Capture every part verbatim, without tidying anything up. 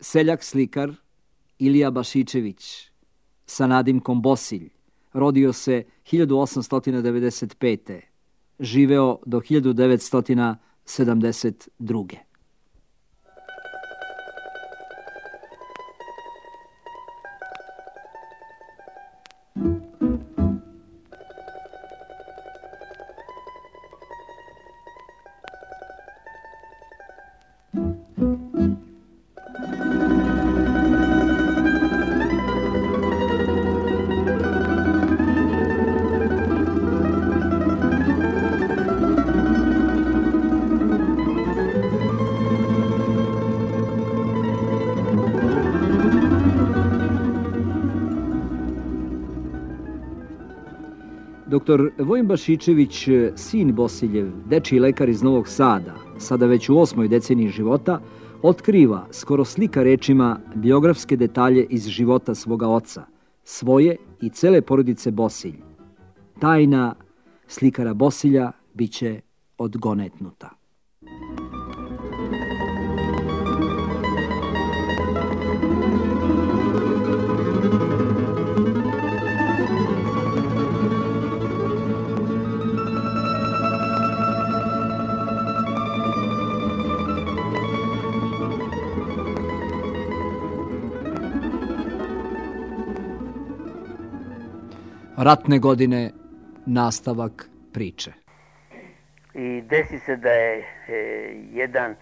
Seljak slikar Ilija Bašičević sa nadimkom Bosilj rodio se hiljadu osamsto devedeset pete. Živeo do hiljadu devetsto sedamdeset druge. Doktor Vojin Bašičević, sin Bosiljev, dečiji lekar iz Novog Sada, sada već u osmoj deceniji života, otkriva, skoro slika rečima, biografske detalje iz života svoga oca, svoje i cele porodice Bosilj. Tajna slikara Bosilja biće odgonetnuta. Ratne godine, nastavak priče. I desi se da je e, jedan,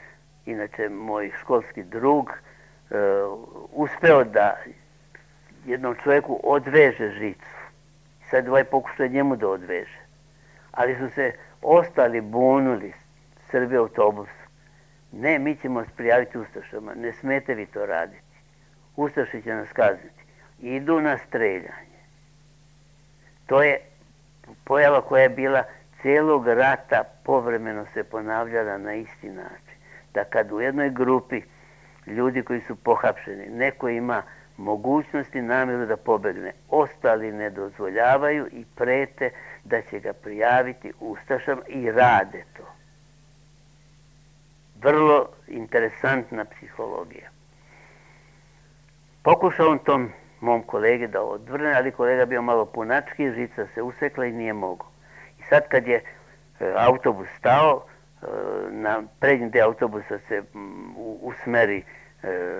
inače moj školski drug, e, uspeo da jednom čovjeku odveže žicu. Sad ovaj pokušao njemu da odveže. Ali su se ostali bunuli, Srbi autobusu. Ne, mi ćemo se prijaviti Ustašama, ne smete vi to raditi. Ustaši će nas kazniti. Idu na streljanje. To je pojava koja je bila cijelog rata, povremeno se ponavljala na isti način. Da kad u jednoj grupi ljudi koji su pohapšeni, neko ima mogućnosti namjeru da pobegne, ostali ne dozvoljavaju i prete da će ga prijaviti ustašama i rade to. Vrlo interesantna psihologija. Pokušao on tom mom kolegi da odvrne, ali kolega bio malo punački, žica se usekla i nije mogao. I sad kad je e, autobus stao, e, na prednji deo autobusa se m, u, usmeri e,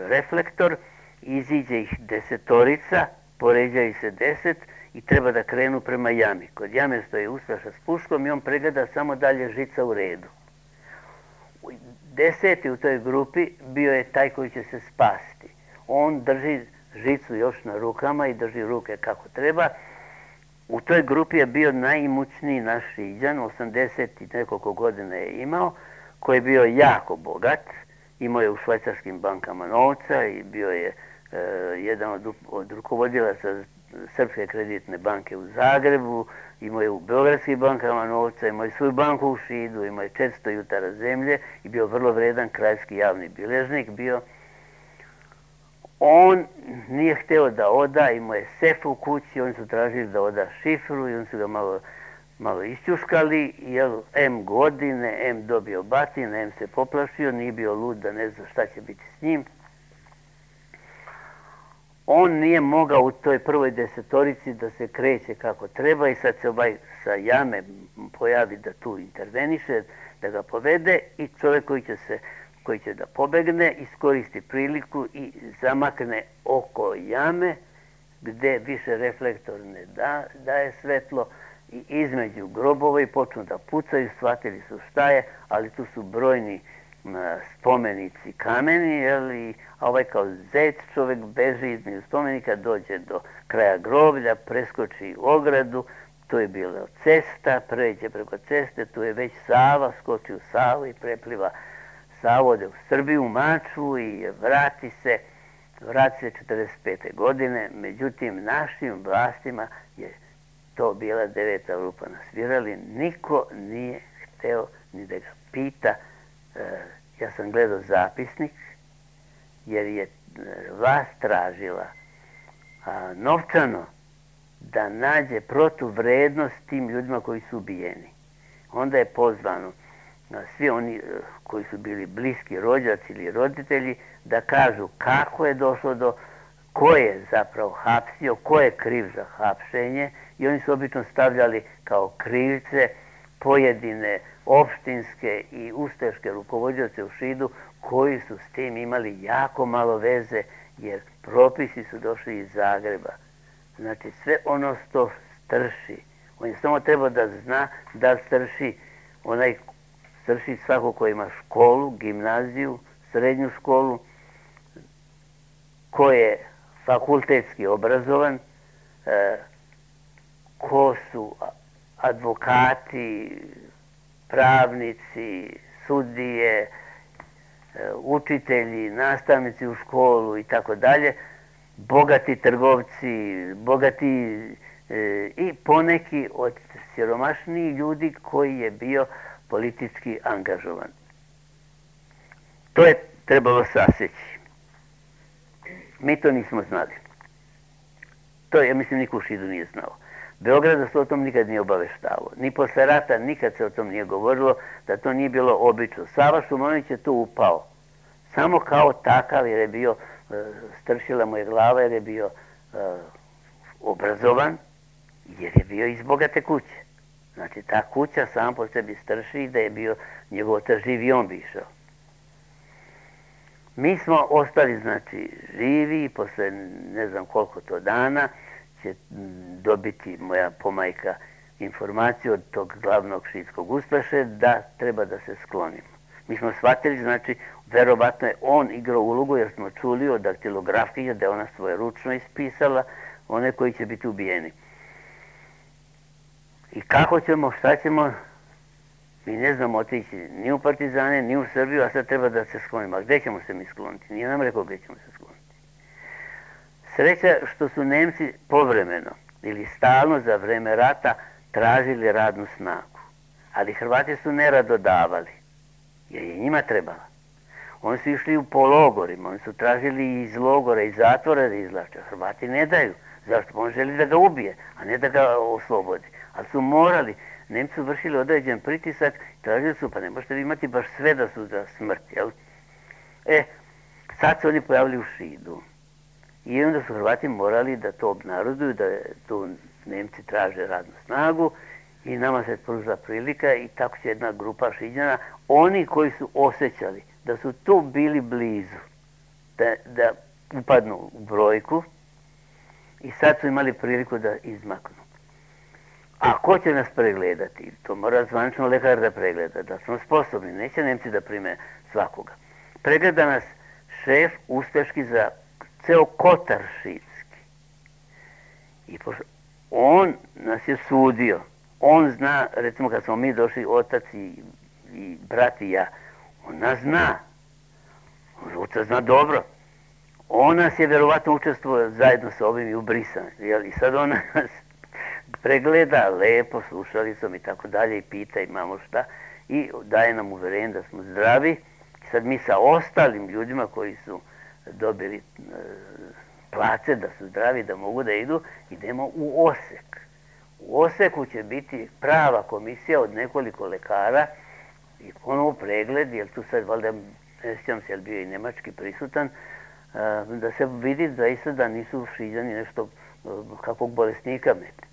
reflektor, iziđe ih desetorica, poređaju se deset i treba da krenu prema jami. Kod jame stoji ustaša s puškom i on pregleda samo dalje žica u redu. Deseti u toj grupi bio je taj koji će se spasti. On drži žicu još na rukama i drži ruke kako treba. U toj grupi je bio najimućniji naš Šiđan, osamdeset i nekoliko godina je imao, koji je bio jako bogat, imao je u švajcarskim bankama novca i bio je e, jedan od, od rukovodilaca Srpske kreditne banke u Zagrebu, imao je u beogradskim bankama novca, imao je svoju banku u Šidu, imao je četiristo jutara zemlje i bio vrlo vredan krajski javni bilježnik, bio. On nije hteo da oda, imao je sef u kući, oni su tražili da oda šifru i oni su ga malo, malo isćuškali, jel, em godine, em dobio batine, em se poplašio, nije bio lud da ne zna šta će biti s njim. On nije mogao u toj prvoj desetorici da se kreće kako treba i sad se ovaj sa jame pojavi da tu interveniše, da ga povede i čovjek koji će se koji će da pobegne, iskoristi priliku i zamakne oko jame gde više reflektor ne da, daje svetlo i između grobova i počnu da pucaju, shvatili su šta je, ali tu su brojni spomenici kameni, jeli, a ovaj kao zec čovjek beži između spomenika, dođe do kraja groblja, preskoči ogradu, tu je bila cesta, pređe preko ceste, tu je već Sava, skoči u Savu i prepliva Savu, ode u Srbiju, u Mačvu i vrati se, vrati se četrdeset pete godine, međutim našim vlastima je to bila deveta rupa na svirali, niko nije hteo ni da ga pita. Ja sam gledao zapisnik, jer je vlast tražila a, novčano da nađe protuvrednost tim ljudima koji su ubijeni. Onda je pozvano svi oni koji su bili bliski rođaci ili roditelji, da kažu kako je došlo do, ko je zapravo hapsio, ko je kriv za hapšenje, i oni su obično stavljali kao krivce pojedine opštinske i ustaške rukovodioce u Šidu koji su s tim imali jako malo veze, jer propisi su došli iz Zagreba. Znači sve ono što strši, on je samo trebao da zna da strši onaj strši svako ko ima školu, gimnaziju, srednju školu, ko je fakultetski obrazovan, ko su advokati, pravnici, sudije, učitelji, nastavnici u školu i tako dalje, bogati trgovci, bogati i poneki od siromašnijih ljudi koji je bio politički angažovan. To je trebalo saseći. Mi to nismo znali. To, ja mislim, niko u Šidu nije znao. Beograd se o tom nikad nije obaveštavao. Ni posle rata nikad se o tom nije govorilo, da to nije bilo obično. Sava Šumanović je tu upao. Samo kao takav, jer je bio, stršila mu je glava, jer je bio obrazovan, jer je bio iz bogate kuće. Znači, ta kuća sam po sebi strši, i da je bio njegov otac živ i on bi išao. Mi smo ostali, znači, živi, i posle ne znam koliko to dana će dobiti moja pomajka informaciju od tog glavnog šidskog ustaše da treba da se sklonimo. Mi smo shvatili, znači, verovatno je on igrao ulogu, jer smo čuli od daktilografije da je ona svoje ručno ispisala one koji će biti ubijeni. I kako ćemo, šta ćemo, mi ne znamo otići ni u partizane, ni u Srbiju, a sad treba da se sklonimo. A gde ćemo se mi skloniti? Nije nam rekao gde ćemo se skloniti. Sreća što su Nemci povremeno ili stalno za vreme rata tražili radnu snagu. Ali Hrvati su nerado davali, jer je njima trebala. Oni su išli u pologorima, oni su tražili iz logora i zatvora da izlače. Hrvati ne daju. Zašto? On želi da ga ubije, a ne da ga oslobodi. Ali su morali. Nemci su vršili određen pritisak, tražili su, pa ne možete vi imati baš sve da su za smrt, jel? E, sad se oni pojavili u Šidu. I onda su Hrvati morali da to obnaroduju, da tu Nemci traže radnu snagu, i nama se pružila prilika, i tako će jedna grupa Šiđana, oni koji su osjećali da su tu bili blizu, da, da upadnu u brojku, i sad su imali priliku da izmaknu. A ko će nas pregledati? To mora zvanično lekar da pregleda, da smo sposobni. Neće Nemci da prime svakoga. Pregleda nas šef ustaški za ceo Kotar šidski. I pošto on nas je sudio. On zna, recimo kad smo mi došli, otac i, i brat i ja, on nas zna. Otac zna dobro. On nas je verovatno učestvovao zajedno sa ovim i u brisanju. I sad on nas pregleda lepo, slušalicom i tako dalje, i pita imamo šta, i daje nam uverenje da smo zdravi. I sad mi sa ostalim ljudima koji su dobili e, place, da su zdravi, da mogu da idu, idemo u Osek. U Oseku će biti prava komisija od nekoliko lekara i ponovo pregled, jer tu sad valjda, ne sjećam se, jer bio i nemački prisutan, da se vidi zaista da nisu Šiđani nešto kakvog bolesnika meti.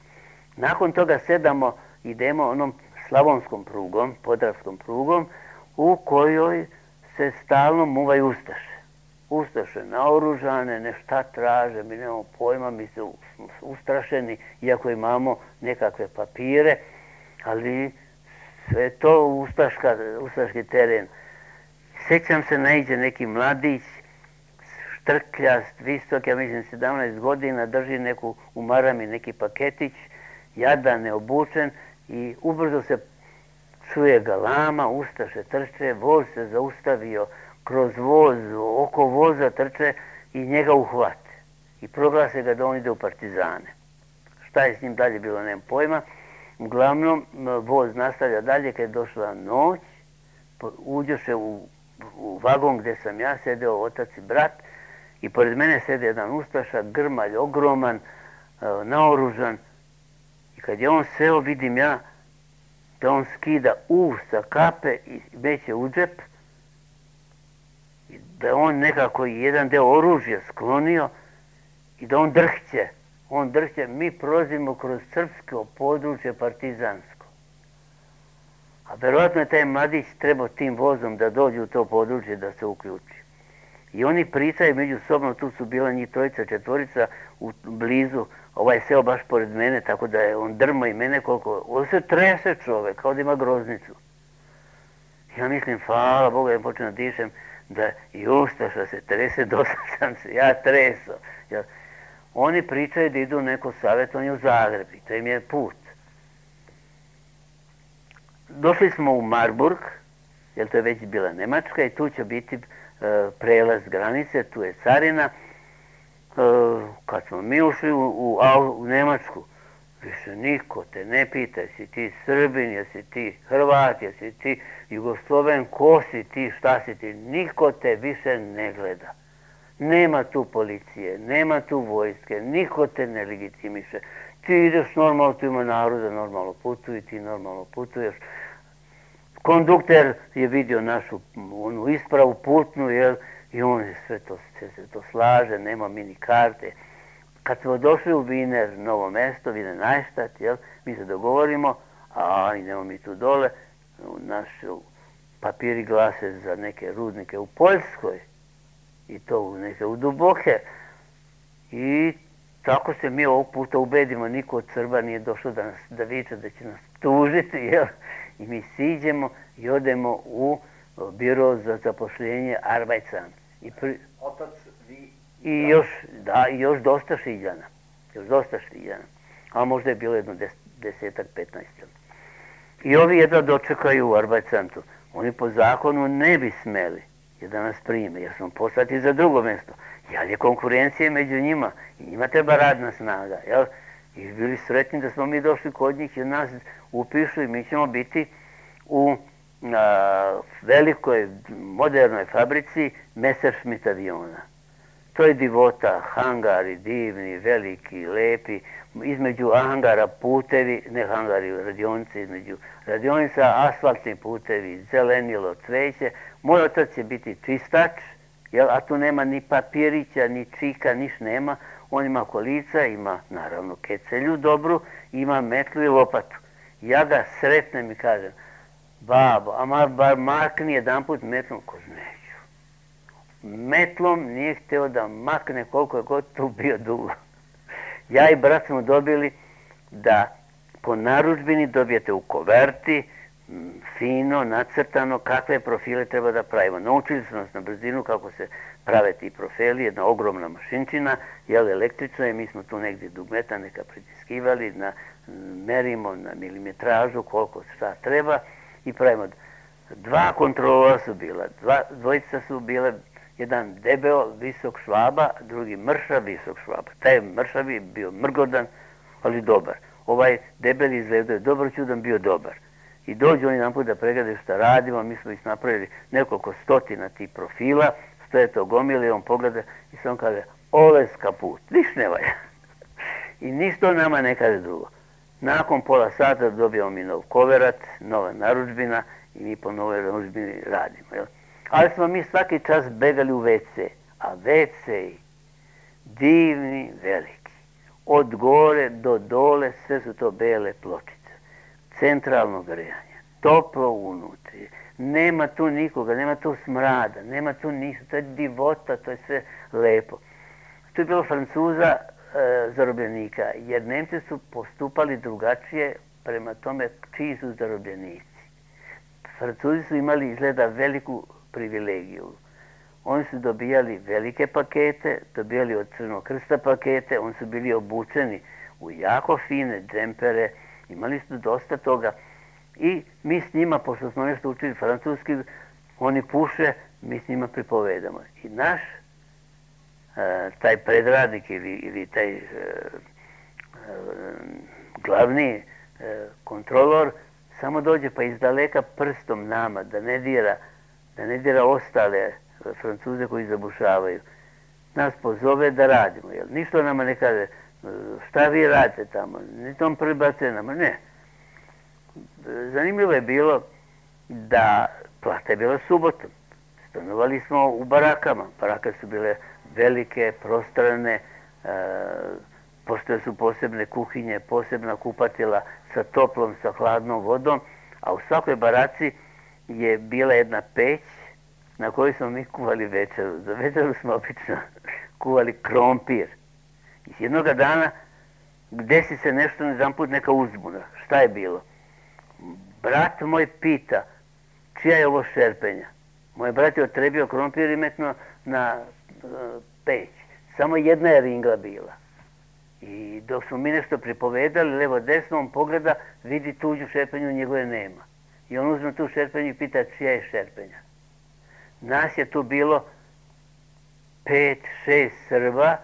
Nakon toga sedamo, idemo onom slavonskom prugom, podravskom prugom, u kojoj se stalno muvaju ustaše. Ustaše naoružane, nešta traže, mi nemamo pojma, mi se ustrašeni, iako imamo nekakve papire, ali sve to ustaška, ustaški teren. Sećam se, naiđe neki mladić, štrkljast, visok, ja mislim sedamnaest godina, drži neku u marami neki paketić, jadan, neobučen, i ubrzo se čuje galama, ustaše trče, voz se zaustavio, kroz voz, oko voza trče i njega uhvate. I proglase ga da on ide u partizane. Šta je s njim dalje bilo, nemam pojma. Uglavnom, voz nastavlja dalje, kad je došla noć, uđoše u, u vagon gde sam ja sedeo, otac i brat, i pored mene sede jedan ustaša, grmalj, ogroman, naoružan. I kad je on seo, vidim ja da on skida uv sa kape i meće u džep, i da on nekako jedan deo oružja sklonio i da on drhće. On drhće, mi prolazimo kroz srpsko područje partizansko. A verovatno je taj mladić trebao tim vozom da dođe u to područje da se uključi. I oni pričaju međusobno, tu su bila njih trojica, četvorica u blizu, ovaj seo baš pored mene, tako da je on drma i mene koliko, on se trese čovek, kao da ima groznicu. Ja mislim, hvala Bogu, ja počnem da dišem, da i Ustaša se trese, dosta sam se ja tresao. Jer oni pričaju da idu u neko savjetovanje u Zagreb i to im je put. Došli smo u Marburg, jer to je već bila Nemačka i tu će biti prelaz granice, tu je carina. Kad smo mi ušli u, u, u Nemačku, više niko te ne pita, jesi ti Srbin, jesi ti Hrvat, jesi ti Jugosloven, ko si ti, šta si ti, niko te više ne gleda. Nema tu policije, nema tu vojske, niko te ne legitimiše. Ti ideš normalno, tu ima naroda, normalno putuju, ti normalno putuješ. Kondukter je vidio našu onu ispravu putnu, jel, i on je sve to, se to slaže, nema mini karte. Kad smo došli u Viner, novo mesto, Viner Najštat, jel, mi se dogovorimo, a idemo mi tu dole, naši papiri glase za neke rudnike u Poljskoj, i to u neke u duboke. I tako se mi ovog puta ubedimo, niko od Srba nije došlo da nas da viče da će nas tužiti, jel? I mi siđemo i odemo u biro za zapošljenje Arbeitsamt. I pri... Otac, vi... I još, da, i još dosta Šiljana. Još dosta Šiljana. A možda je bilo jedno des, desetak, petnaest. I ovi jedva dočekaju u Arbeitsamtu. Oni po zakonu ne bi smeli da nas prime, jer smo poslati za drugo mjesto. Jer je konkurencija među njima i njima treba radna snaga. Jel? I bili sretni da smo mi došli kod njih i nas upišu i mi ćemo biti u a, velikoj, modernoj fabrici Messerschmitt aviona. To je divota, hangari divni, veliki, lepi, između hangara putevi, ne hangari, radionice, između radionica, asfaltni putevi, zelenilo, cveće. Moj otac će biti čistač, jel, a tu nema ni papirića, ni čika, niš nema. On ima kolica, ima naravno kecelju dobru, ima metlu i lopatu. Ja ga sretnem i kažem, babo, a bar makni jedan put metlom, ko neću. Metlom nije hteo da makne koliko je god tu bio dugo. Ja i brat smo dobili da po narudžbini dobijete u koverti, fino, nacrtano, kakve profile treba da pravimo. Naučili su nas na brzinu kako se prave ti profili, jedna ogromna mašinčina, jel, električna, i mi smo tu negdje dugmeta neka pritiskivali, na, merimo na milimetražu koliko šta treba i pravimo. Dva kontrolora su bila, dva, dvojica su bile, jedan debeo, visok švaba, drugi mršav, visok švaba. Taj mršav je bio mrgodan, ali dobar. Ovaj debeli izgledao je dobro čudan, bio dobar. I dođu oni nam put da pregledaju šta radimo, mi smo ih napravili nekoliko stotina tih profila, stoje to gomili, on pogleda i sam kaže, oles kaput, niš ne valja. I ništa nama ne kaže drugo. Nakon pola sata dobijamo mi nov koverat, nova narudžbina i mi po novoj narudžbini radimo. Jel? Ali smo mi svaki čas begali u ve ce, a ve ce divni, veliki. Od gore do dole sve su to bele pločice. Centralno grejanje, toplo unutri, nema tu nikoga, nema tu smrada, nema tu ništa, to je divota, to je sve lepo. Tu je bilo Francuza e, zarobljenika, jer Nemci su postupali drugačije prema tome čiji su zarobljenici. Francuzi su imali izgleda veliku privilegiju. Oni su dobijali velike pakete, dobijali od Crvenog krsta pakete, oni su bili obučeni u jako fine džempere, imali su dosta toga i mi s njima, pošto smo nešto učili francuski, oni puše, mi s njima pripovedamo. I naš e, taj predradnik ili, ili taj e, e, glavni e, kontrolor samo dođe pa iz daleka prstom nama da ne dira, da ne dira ostale Francuze koji zabušavaju. Nas pozove da radimo. Jel? Ništa nama ne kaže šta vi radite tamo, ni tom prebacuje nama, ne. zanimljivo je bilo da plata je bila subotom. Stanovali smo u barakama. Barake su bile velike, prostrane, e, postoje su posebne kuhinje, posebna kupatila sa toplom, sa hladnom vodom, a u svakoj baraci je bila jedna peć na kojoj smo mi kuvali večeru. Za večeru smo obično kuvali krompir. I jednoga dana desi se nešto, jedan put neka uzbuna. Šta je bilo? Brat moj pita, čija je ovo šerpenja? Moj brat je otrebio krompir i metno na uh, peć. Samo jedna je ringla bila. I dok smo mi nešto pripovedali, levo desno, on pogleda, vidi tuđu šerpenju, njegove nema. I on uzme tu šerpenju i pita čija je šerpenja. Nas je tu bilo pet, šest Srba,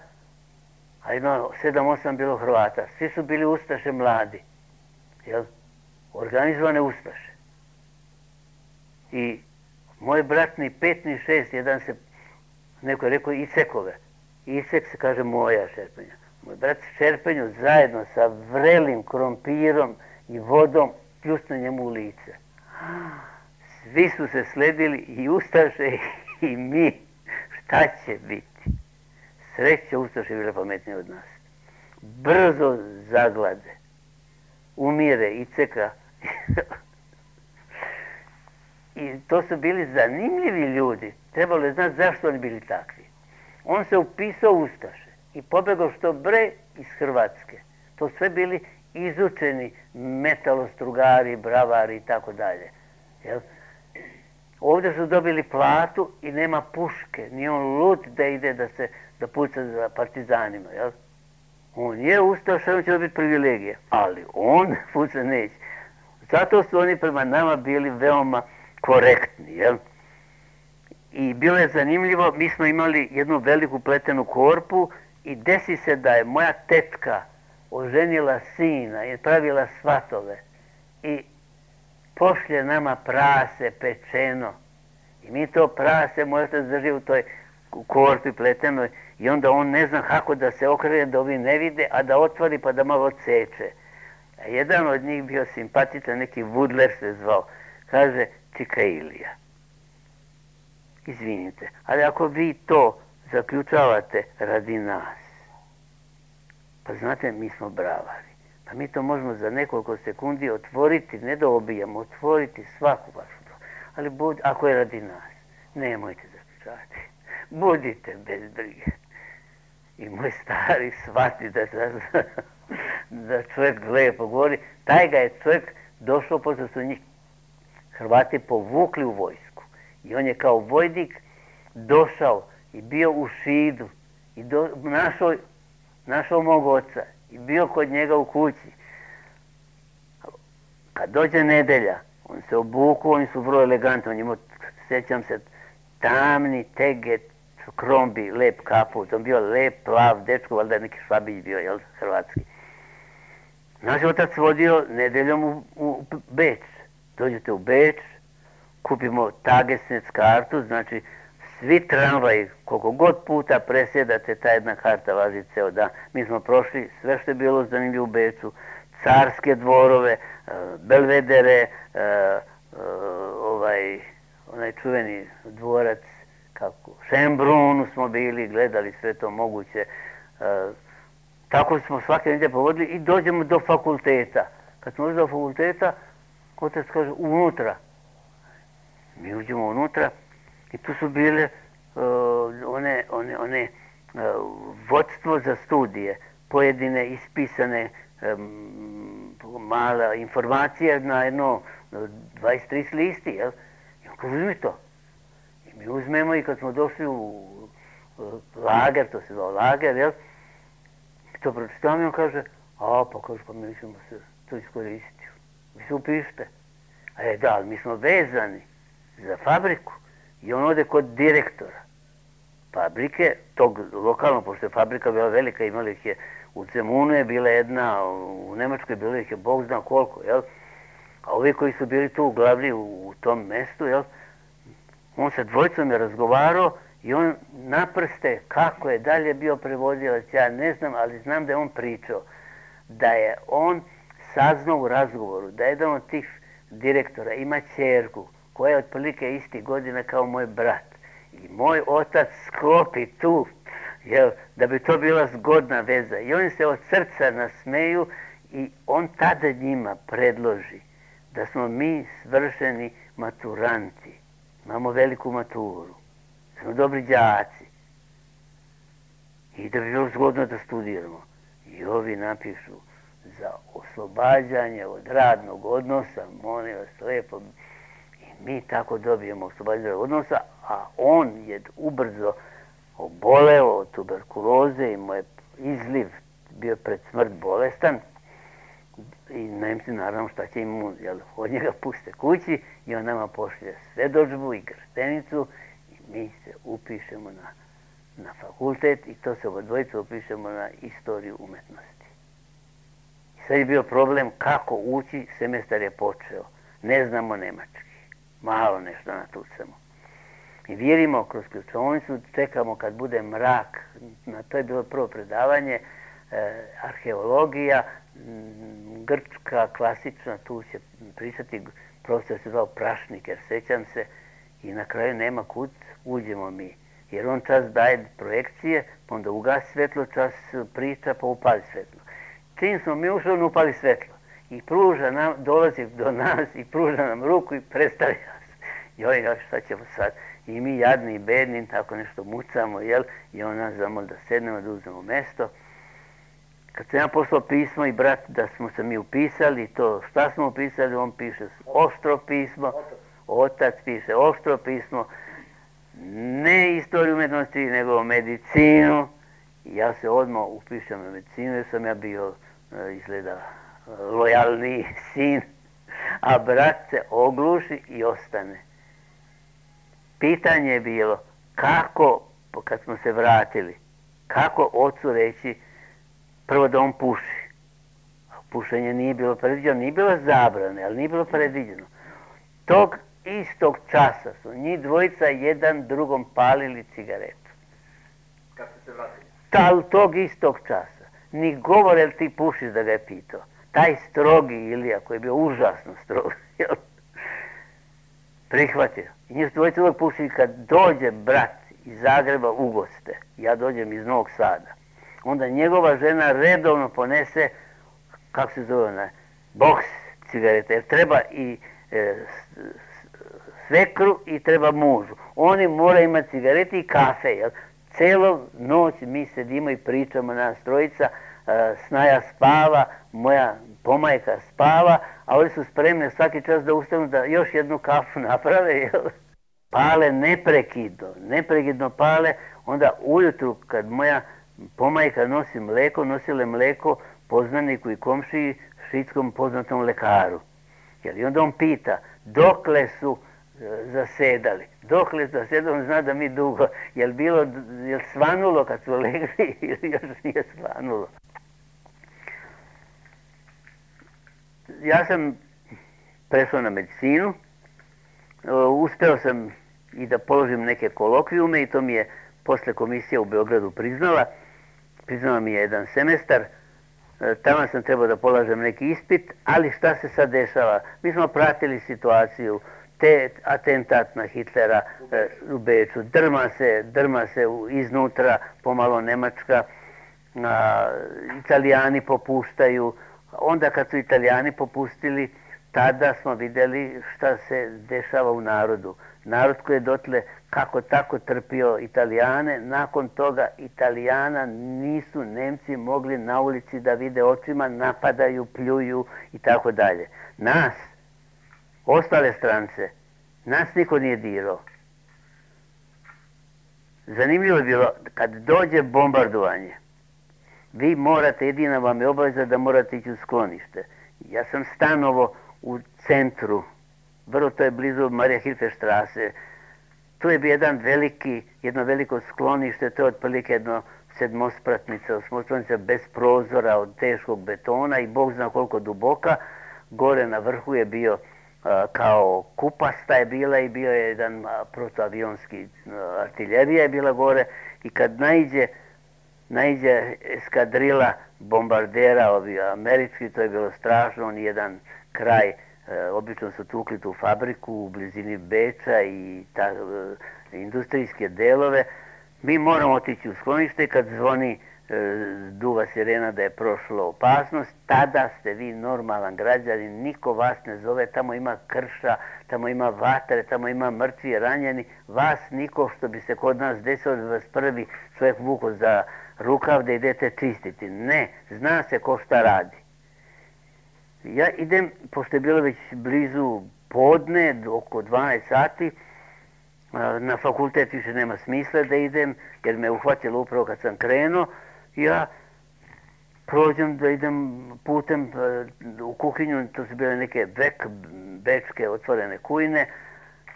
a jedno sedam, osam bilo Hrvata. Svi su bili ustaše mladi. Jel? Organizovane ustaše. I moj brat ni pet, ni šest, jedan se, neko je rekao Icekove. Icek se kaže moja šerpenja. Moj brat šerpenju zajedno sa vrelim krompirom i vodom pljusne njemu u lice. Svi su se sledili, i ustaše i mi. Šta će biti? Sreće, ustaše bile pametnije od nas. Brzo zaglade. Umire Iceka. I to su bili zanimljivi ljudi. Trebalo je znati zašto oni bili takvi. On se upisao u ustaše i pobegao što bre iz Hrvatske. To sve bili izučeni metalostrugari, bravari i tako dalje. Jel? Ovdje su dobili platu i nema puške. Nije on lud da ide da se da puca za partizanima. Jel? On je ustaša, on će biti privilegije. Ali on puca neće. Zato su oni prema nama bili veoma korektni. Jel? I bilo je zanimljivo, mi smo imali jednu veliku pletenu korpu i desi se da je moja tetka oženila sina i pravila svatove i pošlje nama prase pečeno. I mi to prase, moj otac drži u toj korpi pletenoj i onda on ne zna kako da se okrene da ovi ne vide, a da otvori pa da malo ceče. A jedan od njih bio simpatičan, neki Vudler se zvao, kaže Čika Ilija. Izvinite, ali ako vi to zaključavate radi nas, pa znate, mi smo bravari. Pa mi to možemo za nekoliko sekundi otvoriti, ne da obijemo, otvoriti svaku vašu bravu. Ali bud, ako je radi nas, nemojte zaključavati. Budite bez brige. I moj stari shvati da, da, da čovjek lepo govori. Taj ga je čovjek došao, pošto su njih Hrvati povukli u vojsku. I on je kao vojnik došao i bio u Šidu i do, našao, našao mog oca i bio kod njega u kući. Kad dođe nedelja, on se obuku, oni su vrlo elegantni, on imao, sjećam se, tamni teget, krombi, lep kaput, on bio lep, plav, dečko, valjda je neki Švabić bio, jel, hrvatski. Naš otac vodio nedeljom u, u Beč. Dođete u Beč, kupimo Tagesnec kartu, znači svi tramvaji, koliko god puta presjedate, ta jedna karta važi ceo dan. Mi smo prošli sve što je bilo zanimljivo u Beču, carske dvorove, belvedere, ovaj, onaj čuveni dvorac, kako, Šembrunu smo bili, gledali sve to moguće. Tako smo svake nedelje povodili i dođemo do fakulteta. Kad smo došli do fakulteta, otac kaže unutra. Mi uđemo unutra i tu su bile uh, one, one, one uh, vodstvo za studije, pojedine ispisane um, mala informacija na jedno dvadeset tri listi, jel? I on kaže, uzmi to. I mi uzmemo i kad smo došli u uh, lager, to se zvao lager, jel? I to pročitamo i on kaže, a pa kaže, pa mi ćemo se to iskoristiti. Vi se upišite. A je da, ali mi smo vezani za fabriku i on ode kod direktora fabrike, tog lokalno, pošto je fabrika bila velika, imali ih je u Zemunu je bila jedna, u Nemačkoj bilo ih je Bog zna koliko, jel? A ovi koji su bili tu glavni u, u tom mestu, jel? On sa dvojicom je razgovarao i on naprste kako je dalje bio prevodilac, ja ne znam, ali znam da je on pričao da je on saznao u razgovoru da je jedan od tih direktora ima ćerku koja je otprilike isti godina kao moj brat. I moj otac sklopi tu, jel, da bi to bila zgodna veza. I oni se od srca nasmeju i on tada njima predloži da smo mi svršeni maturanti. Imamo veliku maturu. Smo dobri đaci. I da bi bilo zgodno da studiramo. I ovi napišu za oslobađanje od radnog odnosa, molim vas lijepo. I mi tako dobijemo oslobađanje od odnosa, a on je ubrzo oboleo od tuberkuloze i mu je izliv bio pred smrt bolestan. I Nemci naravno šta će im, jel, od njega puste kući i on nama pošlje svjedodžbu i krstenicu i mi se upišemo na, na fakultet i to se oba dvojica upišemo na istoriju umetnosti. I sad je bio problem kako ući, semestar je počeo. Ne znamo nemački, malo nešto natucamo. I vjerimo kroz ključovnicu, čekamo kad bude mrak, na to je bilo prvo predavanje, e, arheologija, grčka, klasična, tu će pričati, profesor se zvao Prašnik, jer sećam se, i na kraju nema kud, uđemo mi. Jer on čas daje projekcije, pa onda ugasi svetlo, čas priča, pa upali svetlo. Čim smo mi ušli, on upali svetlo. I pruža nam, dolazi do nas i pruža nam ruku i predstavlja se. Joj, joj, šta ćemo sad? I mi jadni i bedni, tako nešto mucamo, jel? I on nas zamoli da sednemo, da uzmemo mesto. Kad sam ja poslao pismo i brat da smo se mi upisali, to šta smo upisali, on piše oštro pismo, otac piše oštro pismo, ne istoriju umetnosti, nego medicinu. I ja se odmah upišem na medicinu, jer sam ja bio, izgleda, lojalniji sin, a brat se ogluši i ostane. Pitanje je bilo kako, kad smo se vratili, kako ocu reći prvo da on puši. Pušenje nije bilo predviđeno, nije bilo zabrane, ali nije bilo predviđeno. Tog istog časa su njih dvojica jedan drugom palili cigaretu. Kad ste se vratili? Tal tog istog časa. Ni govore li ti pušiš da ga je pitao. Taj strogi Ilija koji je bio užasno strog, prihvatio. I njih dvojica uvijek pušili kad dođe brat iz Zagreba u goste. Ja dođem iz Novog Sada. Onda njegova žena redovno ponese, kako se zove ona, boks cigareta, jer treba i e, svekru i treba mužu. Oni moraju imati cigarete i kafe, jel? Celo noć mi sedimo i pričamo, nas trojica, e, Snaja spava, moja pomajka spava, a oni su spremni svaki čas da ustanu da još jednu kafu naprave, jel? Pale neprekidno, neprekidno pale, onda ujutru kad moja pomajka nosi mleko, nosile mleko poznaniku i komšiji, šitskom poznatom lekaru. I onda on pita, dokle su zasedali? Dokle su zasedali, on zna da mi dugo. Je li bilo, je li svanulo kad su legli ili još nije svanulo? Ja sam prešao na medicinu, uspeo sam i da položim neke kolokvijume i to mi je posle komisija u Beogradu priznala. Priznala mi je jedan semestar, tamo sam trebao da polažem neki ispit, ali šta se sad dešava? Mi smo pratili situaciju, te atentat na Hitlera u Beču, drma se, drma se iznutra, pomalo Nemačka, a, Italijani popuštaju. Onda kad su Italijani popustili, tada smo vidjeli šta se dešava u narodu. Narod koji je dotle kako tako trpio Italijane, nakon toga Italijana nisu Nemci mogli na ulici da vide očima, napadaju, pljuju i tako dalje. Nas, ostale strance, nas niko nije dirao. Zanimljivo je bilo, kad dođe bombardovanje, vi morate, jedina vam je obaveza da morate ići u sklonište. Ja sam stanovo u centru, vrlo to je blizu Marija Hilferstrasse. Tu je bio jedan veliki, jedno veliko sklonište, to je otprilike jedno sedmospratnica, osmospratnica bez prozora od teškog betona i Bog zna koliko duboka. Gore na vrhu je bio a, kao kupasta je bila i bio je jedan a, protoavionski a, artiljerija je bila gore i kad naiđe, naiđe eskadrila bombardera ovi američki, to je bilo strašno, on jedan kraj obično su tukli tu fabriku u blizini Beča i ta, industrijske delove. Mi moramo otići u sklonište, kad zvoni duva sirena da je prošla opasnost, tada ste vi normalan građanin, niko vas ne zove, tamo ima krša, tamo ima vatre, tamo ima mrtvi, ranjeni, vas niko, što bi se kod nas desilo da vas prvi čovjek vuko za rukav da idete čistiti. Ne, zna se ko šta radi. Ja idem, pošto je bilo već blizu podne, oko dvanaest sati, na fakultet više nema smisla da idem, jer me uhvatilo upravo kad sam krenuo. Ja prođem da idem putem u kuhinju, to su bile neke bek, bečke otvorene kujne,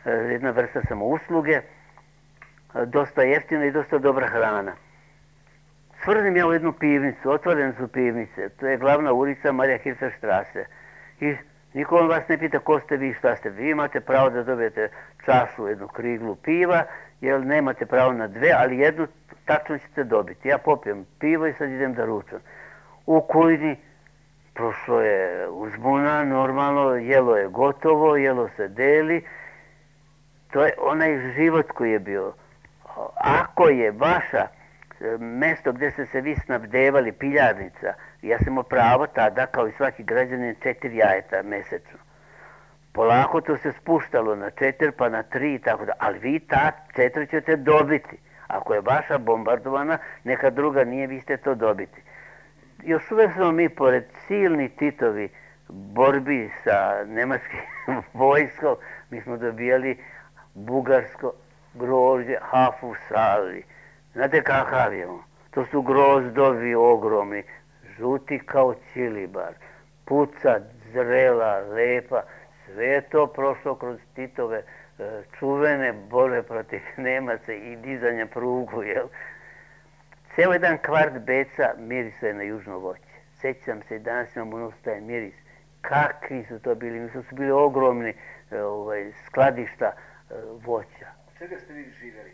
jedna vrsta samousluge, dosta jeftina i dosta dobra hrana. Svrnem ja u jednu pivnicu, otvorene su pivnice, to je glavna ulica Marija Hirferstrasse. I niko vas ne pita ko ste vi, šta ste vi, imate pravo da dobijete čašu, jednu kriglu piva, jer nemate pravo na dve, ali jednu tačno ćete dobiti. Ja popijem pivo i sad idem da ručam. U kujni prošlo je uzbuna, normalno, jelo je gotovo, jelo se deli. To je onaj život koji je bio. Ako je vaša mesto gdje ste se vi snabdevali, piljarnica, ja sam imao pravo tada, kao i svaki građanin, četiri jajeta mesečno. Polako to se spuštalo na četiri, pa na tri i tako da, ali vi ta četiri ćete dobiti. Ako je vaša bombardovana, neka druga nije, vi ćete to dobiti. Još uvijek smo mi, pored silni Titovi borbi sa nemačkim vojskom, mi smo dobijali bugarsko grožđe, hafu sali. Znate kakav je on? To su grozdovi ogromni, žuti kao čilibar, puca, zrela, lepa, sve je to prošlo kroz Titove čuvene borbe protiv Nemaca i dizanja prugu, jel? Ceo jedan kvart Beca mirisao je na južno voće. Sećam se i danas imam unos taj miris. Kakvi su to bili? Mislim su bili ogromni ovaj, skladišta voća. Čega ste vi živjeli?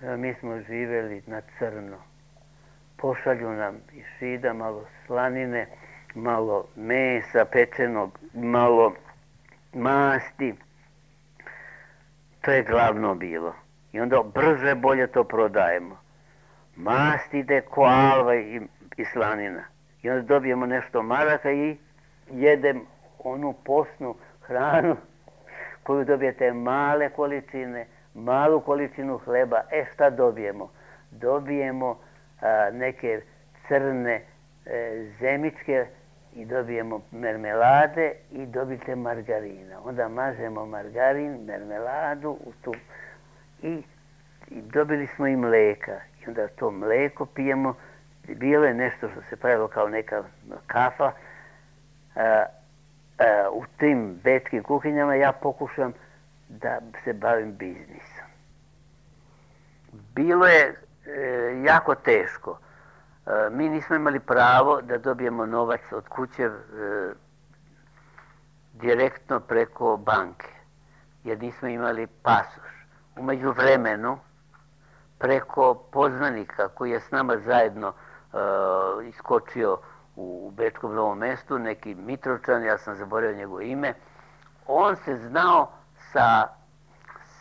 Mi smo živjeli na crno. Pošalju nam iz Šida malo slanine, malo mesa pečenog, malo masti. To je glavno bilo. I onda brže bolje to prodajemo. Mast ide ko alva i, i slanina. I onda dobijemo nešto maraka i jedem onu posnu hranu koju dobijete male količine, malu količinu hleba. E šta dobijemo? Dobijemo a, neke crne e, zemičke i dobijemo mermelade i dobijete margarina. Onda mažemo margarin, mermeladu u tu i, i dobili smo i mleka. I onda to mleko pijemo. Bilo je nešto što se pravilo kao neka kafa. A, a, u tim bečkim kuhinjama ja pokušam da se bavim biznisom. Bilo je e, jako teško. E, mi nismo imali pravo da dobijemo novac od kuće e, direktno preko banke, jer nismo imali pasoš. U međuvremenu, preko poznanika koji je s nama zajedno e, iskočio u Bečkom Novom Mestu, neki Mitrovčan, ja sam zaboravio njegovo ime, on se znao sa,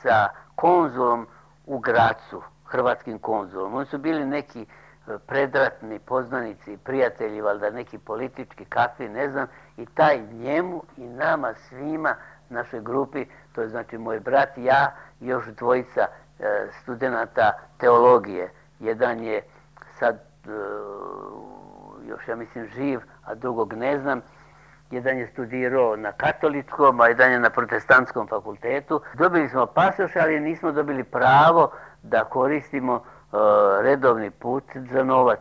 sa konzulom u Gracu, hrvatskim konzulom. Oni su bili neki predratni poznanici, prijatelji, valjda neki politički, kakvi, ne znam, i taj njemu i nama svima, našoj grupi, to je znači moj brat, ja i još dvojica e, studenata teologije. Jedan je sad e, još, ja mislim, živ, a drugog ne znam. Jedan je studirao na katoličkom, a jedan je na protestantskom fakultetu. Dobili smo pasoš, ali nismo dobili pravo da koristimo uh, redovni put za novac.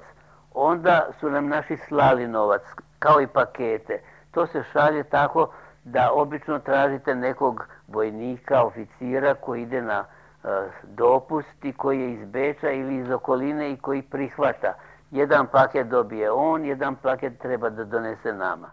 Onda su nam naši slali novac, kao i pakete. To se šalje tako da obično tražite nekog vojnika, oficira koji ide na uh, dopust i koji je iz Beča ili iz okoline i koji prihvata. Jedan paket dobije on, jedan paket treba da donese nama.